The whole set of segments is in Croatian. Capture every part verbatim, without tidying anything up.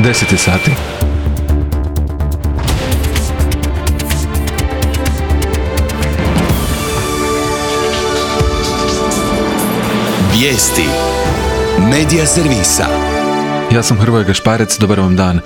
deset je sati. Vijesti Medija servisa. Ja sam Hrvoje Gašparec, dobar vam dan.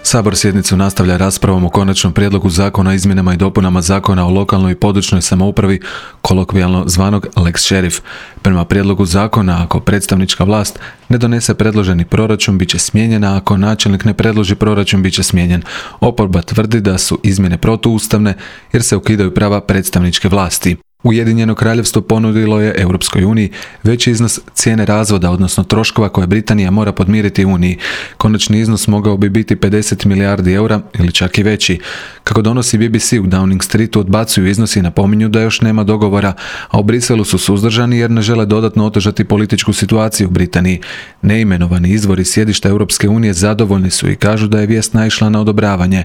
Sabor sjednicu nastavlja raspravom o konačnom prijedlogu zakona o izmjenama i dopunama zakona o lokalnoj i područnoj samoupravi, kolokvijalno zvanog Lex Šerif. Prema prijedlogu zakona, ako predstavnička vlast ne donese predloženi proračun, bit će smijenjena, a ako načelnik ne predloži proračun, bit će smijenjen. Oporba tvrdi da su izmjene protuustavne jer se ukidaju prava predstavničke vlasti. Ujedinjeno kraljevstvo ponudilo je Europskoj uniji veći iznos cijene razvoda, odnosno troškova koje Britanija mora podmiriti Uniji. Konačni iznos mogao bi biti pedeset milijardi eura ili čak i veći. Kako donosi B B C, u Downing Streetu odbacuju iznosi i napominju da još nema dogovora, a u Briselu su suzdržani jer ne žele dodatno otežati političku situaciju u Britaniji. Neimenovani izvori sjedišta Europske unije zadovoljni su i kažu da je vijest naišla na odobravanje.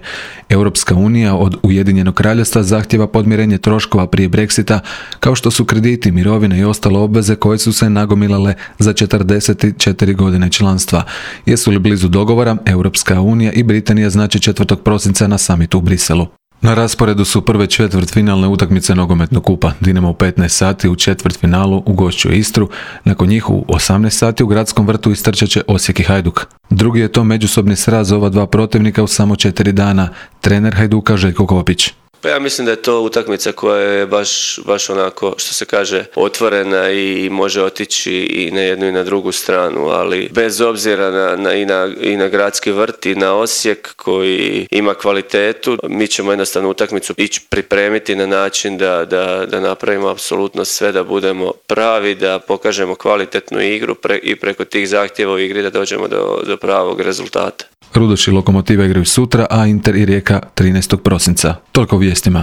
Europska unija od Ujedinjenog kraljevstva zahtjeva podmirenje troškova prije Brexita, kao što su krediti, mirovine i ostale obveze koje su se nagomilale za četrdeset četiri godine članstva. Jesu li blizu dogovora, Europska unija i Britanija znači četvrtog prosinca na samitu u Briselu. Na rasporedu su prve četvrtfinalne utakmice nogometnog kupa. Dinamo u petnaest sati u četvrtfinalu ugošćuje Istru, nakon njih u osamnaest sati u Gradskom vrtu istrčat će Osijek i Hajduk. Drugi je to međusobni sraz ova dva protivnika u samo četiri dana. Trener Hajduka Željko Kopić. Pa ja mislim da je to utakmica koja je baš, baš onako, što se kaže, otvorena i može otići i na jednu i na drugu stranu, ali bez obzira na, na, i, na, i na Gradski vrt i na Osijek koji ima kvalitetu, mi ćemo jednostavno utakmicu ići pripremiti na način da, da, da napravimo apsolutno sve da budemo pravi, da pokažemo kvalitetnu igru pre, i preko tih zahtjeva u igri da dođemo do, do pravog rezultata. Rudoš i Lokomotiva igraju sutra, a Inter i Rijeka trinaestog prosinca. Toliko u vijestima.